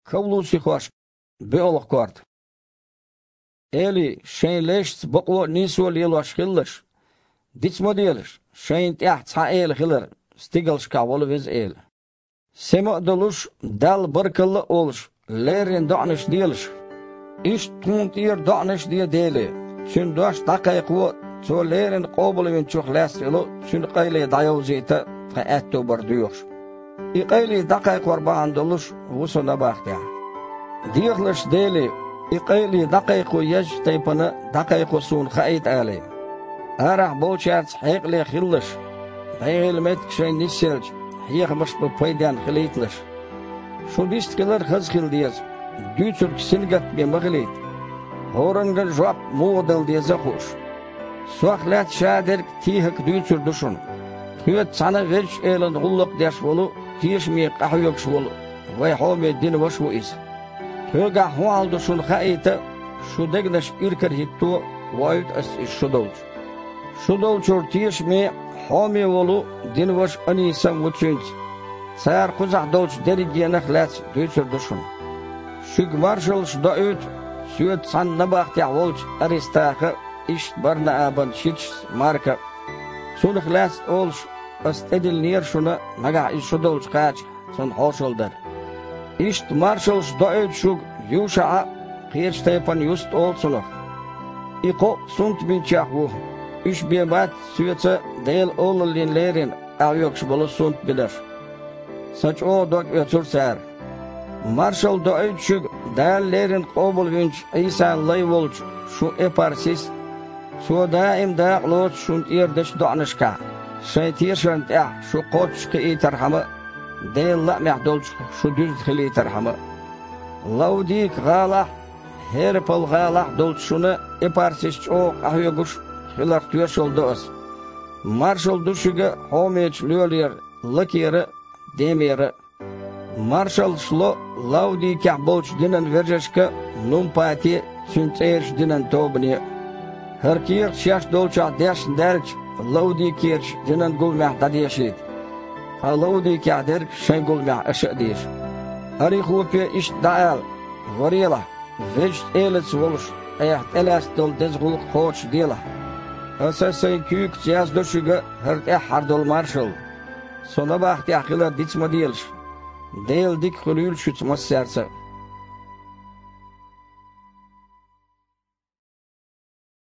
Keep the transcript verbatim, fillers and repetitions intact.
Кавлусихошка боьалгӀа корта. Эли, шайн лешца бакъо а, нийсо а лелош хилалаш, диц ма делаш, шайна тӀехь цхьа эла хилар стигалшкахь волу Веза Эла. Сема а долуш, Далла баркалла а олуш, леррина доӀанаш делаш. Иштта тхуна тӀера доӀанаш а де Деле, Цуьнан дош дӀакхайкхо, Цо леррина къобалвинчух лаьцна йолу Цуьнан къайле дӀайовзийта тхан аьтто бар доьхуш. И къайле дӀакхайкхор бахьана долуш ву со набахтехь. Дехалаш Деле, и къайле дӀакхайкхо езачу тайпана дӀакхайкхо суна хаийта алий. Арахь болчаьрца хьекъале хилалаш, бӀегӀийла меттиг шайна нисъелча, хьехамаш бан пайденна хилийталаш. Шун дистхилар хаза хила деза, дуьйцург сингаттаме ма хилийта. ХӀоранга жоп муха дала деза а хууш. Сох лаьцна шадерг а, тӀехьарг а дуьйцур ду шуна. Тхоьца цхьаьна Везачу Элана гӀуллакх деш волу, тешаме къахьоьгуш волу вайн хьоме динан ваша ву иза. Тхоьгахь хӀун хьал ду шуна хаийта, шун дегнаш иракарахӀитто воуьйту ас иза шу долчу. Шу долчуьра тешаме, хьоме волу динан ваша Анисам ву цуьнца. Цара кхузахь долчу дерригенах лаьцна дуьйцур ду шуна. Шуьга маршаллаш доуьйту соьца цхьаьна набахтехь волчу Аристаха а, иштта Бар-Наабан шичас Марка а. Цунах лаьцна олуш, ас тӀедиллинера шуна, нагахь иза шу долчу кхачахь, цунна хьошалла дара. Иштта маршаллаш доуьйту шуьга ЮшаӀа а, кхечу тайпана Юста олу цунах. И кхоъ сунтбинчех ву, уьш бен бац соьца Делан олаллина леррина къахьоьгуш болу сунтбинарш. Сан чӀогӀа дог оьцура цара. Маршалла доуьйту шуьга Дала леррина къобалвинчу Ӏийсан лай волчу шун Эпарсис а. Цо даим дакъалоцу шуна тӀера дечу доӀанашкахь, шайн тешарна тӀехь шу кхоччуш кхиийтархьама а, Делан лаамехь долчух шу дуьзна хилийтархьама а. Лаудика-гӀалахь а, ХӀерапал-гӀалахь а долчу шуна Эпарсис чӀогӀа къахьоьгуш хиларх тоьшалла до ас. Маршалла ду шуьга хьомечу лоьлера Лакера а, Демера а. Маршаллаш ло Лаудикехь болчу динан вежаршка а, Нумпате а, цуьнан цӀерачу динан тобане а. ХӀара кехат шаьш долчохь дешна даьлча, Лаудикерчу динан гуламехь дӀадешийта. Ткъа Лаудикехь дерг шайн гуламехь аша а деша. Орихопе иштта дӀаала: «Варелахь, Везачу Элаца волуш, айхьа тӀелаьцна долу деза гӀуллакх кхочушделахь. Аса сайн куьйгаца яздо шуьга хӀара тӀаьххьара долу маршалла. Со набахтехь хилар диц ма делаш. Делан дика хуьлийла шуьца массаьрца а».